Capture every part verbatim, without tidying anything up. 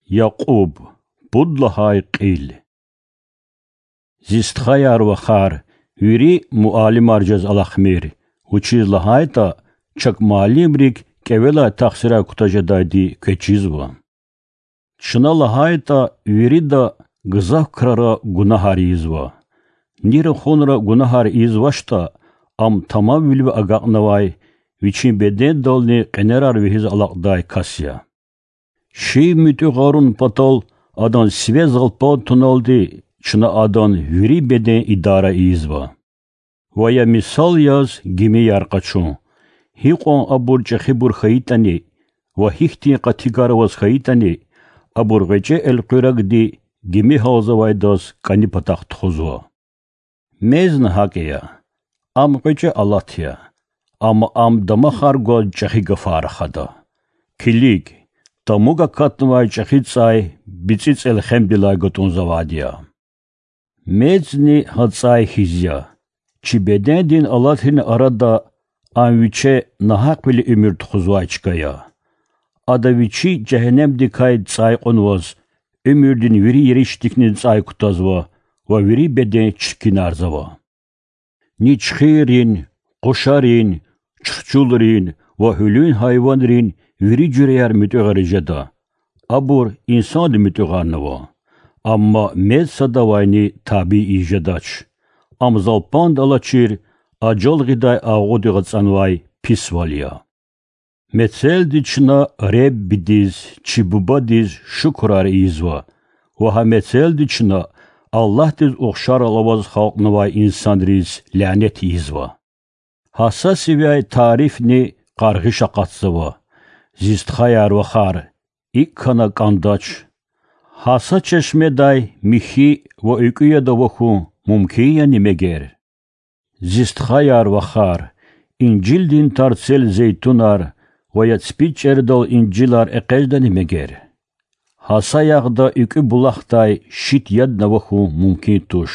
Якьуб, пуд лагьай кьил. Зи стхаяр-вахар, вири муаллимар жез алахъмир, вучиз лагьайтӀа чак муаллимрик кӀевелай тахсирар кутаз жедайди квез чизва. Чна лагьайтӀа, вирида гзаф крара гунагьар ийизва. Ни рахунра гунагьар ийизвачтӀа, ам тамамвилив агакьнавай, вичин бедендални къенерар вегьиз алакьдай кас я. Шив муьтӀуьгъарун патал адан сиве залпан туналди чна адан вири беден идара ийизва. Ва я мисал яз гимияр къачун, гьикьван абур чӀехибур хьайитӀани ва гьихьтин къати гар аваз хьайитӀани, абур гъвечӀи элкъуьрагди гими гьалзавайдаз кӀани патахъ тухузва. Мезни гьакӀ я. Ам гъвечӀи алат я, амма ам дамахар гваз чӀехи гафар рахада. Килиг, тамуг акатнавай чӀехи цӀай бицӀи цӀелхемдилай гатӀунзавайди я. Мезни гьа цӀай хьиз я. Чи бедендин алатрин арада ам виче нагьакьвиле уьмуьр тухузвай чка я. Ада вичи жегьеннемдикай цӀай кьунваз, уьмуьрдин вири еришдикни цӀай кутазва ва вири беден чиркинарзава. Ничхиррин, къушарин, чурчулрин ва гьуьлуьн гьайванрин вири жуьреяр муьтӀуьгъариз жеда. Абур инсанди муьтӀуьгъарнава. Амма мез садавайни табий ийиз жедач. Ам залпанд алачир, ажал гъидай агъуди ацӀанвай писвал я. Мецелди чна Реббидиз, чи Бубадиз шукурар ийизва ва гьа мецелди чна Аллагьдиз ухшарал аваз халкьнавай инсанриз лянет ийизва. Гьа са сивяй тарифни къаргъиш акъатзава. Зи стхаяр-вахар, икӀ хьана кӀандач. Гьа са чешмедай михьи ва экуь яд авахьун мумкин яни мегер? Зи стхаяр-вахар, инжилдин тарцел зейтунар ва я ципицӀердал инжилар экъечӀдани мегер? Гьа са ягъда экуь булахдай шит ядни авахьун мумкин туш.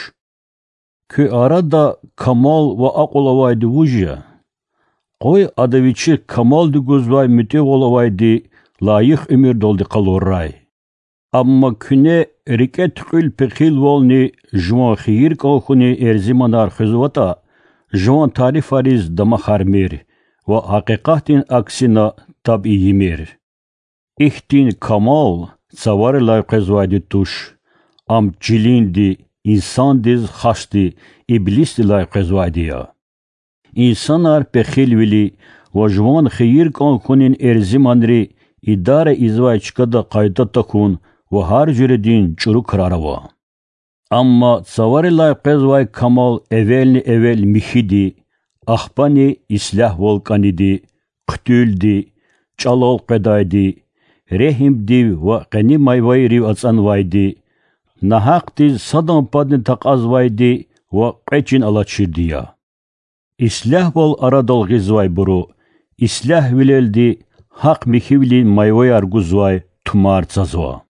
Куь арада камал ва акьул авайди вуж я? Къуй ада вичихъ камалди гузвай муьтӀуьгъвал авайди лайих уьмуьрдалди къалуррай. Амма куьне рикӀе туькьуьл пехилвални жуван хийир кӀан хьунин эрзиманар хуьзватӀа, жуван тарифариз дамахармир ва гьакъикъатдин аксина таб ийимир. Ихьтин камал цаварилай къвезвайди туш, ам чилинди, инсандиз хасди, иблисдилай къвезвайди я. Инсанар пехилвили ва жуван хийир кӀан хьунин эрзиманри идара ийизвай чкада къайда тахьун ва гьар жуьредин чӀуру крар ава. Амма цаварилай къвезвай камал эвелни-эвел михьиди, ахпани ислягьвал кӀаниди, хъуьтуьлди, чӀалал къведайди, регьимдив ва къени майвайрив ацӀанвайди, нагьакьдиз садан падни такьазвайди ва кьве чин алачирди я. Ислягьвал арадал гъизвайбуру ислягьвилелди гьахъ-михьивилин майваяр гузвай тумар цазва.